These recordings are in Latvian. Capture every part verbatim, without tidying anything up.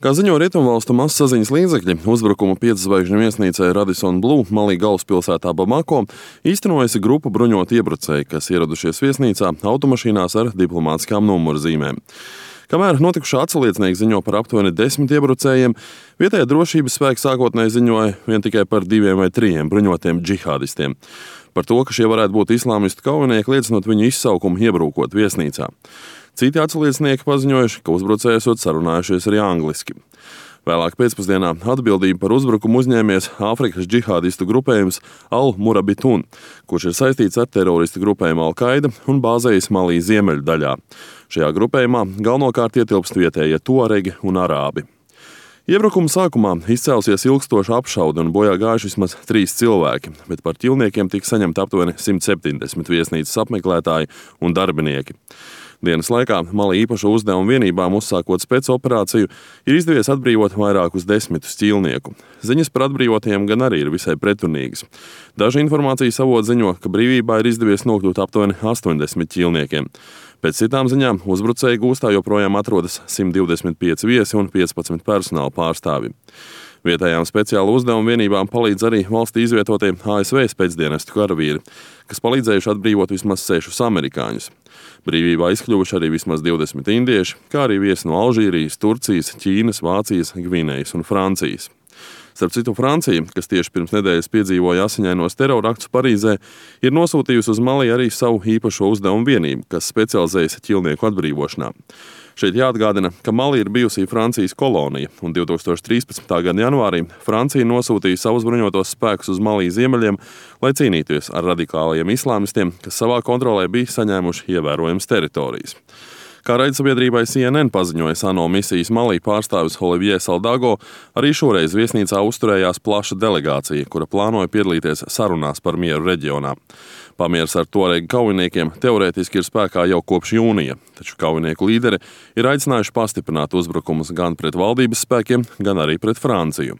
Kā ziņo rietumvalstu mazsaziņas līdzekļi, uzbrukumu pieczvaigžņu viesnīcai Radisson Blu Malī galvaspilsētā Bamako īstenojusi grupa bruņotu iebrucēju, kas ieradušies viesnīcā automašīnās ar diplomātiskām numurzīmēm. Kamēr notikušā atsaliecinieki ziņo par aptuveni desmit iebrucējiem, vietējā drošības spēki sākotnēji ziņoja vien tikai par diviem vai trijiem bruņotiem džihādistiem. Par to, ka šie varētu būt islāmistu kaujinieki, liecinot viņu izsaukumu iebrukot viesnīcā. Citi atsaliecinieki paziņojuši, ka uzbrucēji esot sarunājušies arī angliski. Vēlāk pēcpusdienā atbildību par uzbrukumu uzņēmies Āfrikas džihādistu grupējums Al-Murabitun, kurš ir saistīts ar teroristu grupējumu Al-Qaida un bāzējas Malī ziemeļu daļā. Šajā grupējumā galvenokārt ietilpst vietējie tuaregi un arābi. Iebrukuma sākumā izcēlusies ilgstoša apšaude un bojā gājuši vismaz trīs cilvēki, bet par ķilniekiem tika saņemti aptuveni simt septiņdesmit viesnīcas apmeklētāji un darbinieki. Dienas laikā Malī īpašo uzdevumu vienībām uzsākot spēcoperāciju ir izdevies atbrīvot vairākus desmitus ķīlnieku. Ziņas par atbrīvotiem gan arī ir visai pretrunīgas. Daži informācijas avoti ziņo, ka brīvībā ir izdevies nokļūt aptuveni astoņdesmit ķīlniekiem. Pēc citām ziņām uzbrucēju gūstā joprojām atrodas simt divdesmit pieci viesi un piecpadsmit personāla pārstāvji. Vietējām speciālu uzdevumu vienībām palīdz arī valstī izvietotie A S V spēcdienestu karavīri, kas palīdzējuši atbrīvot vismaz sešus amerikāņus. Brīvībā izkļuvuši arī vismaz divdesmit indieši, kā arī viesi no Alžīrijas, Turcijas, Ķīnas, Vācijas, Gvinejas un Francijas. Starp citu, Francija, kas tieši pirms nedēļas piedzīvoja asiņainos teroraktus Parīzē, ir nosūtījusi uz Malī arī savu īpašo uzdevumu vienību, kas specializējas ķilnieku atbrīvošanā. Šeit jāatgādina, ka Malī ir bijusi Francijas kolonija, un divi tūkstoši trīspadsmitā gada janvārī Francija nosūtīja savus bruņotos spēkus uz Malī ziemeļiem, lai cīnītos ar radikālajiem islāmistiem, kas savā kontrolē bija saņēmuši ievērojamas teritorijas. Kā raidsabiedrībai C N N paziņoja ANO misijas Malī pārstāvis Olivier Saldago, arī šoreiz viesnīcā uzturējās plaša delegācija, kura plānoja piedalīties sarunās par mieru reģionā. Pamieris ar tuaregu kaujiniekiem teorētiski ir spēkā jau kopš jūnija, taču kaujinieku līderi ir aicinājuši pastiprināt uzbrukumus gan pret valdības spēkiem, gan arī pret Franciju.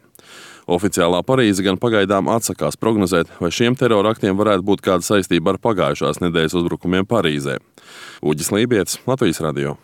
Oficiālā Parīze gan pagaidām atsakās prognozēt, vai šiem teroraktiem varētu būt kāda saistība ar pagājušās nedēļas uzbrukumiem Parīzē. Uģis Lībietis, Latvijas radio.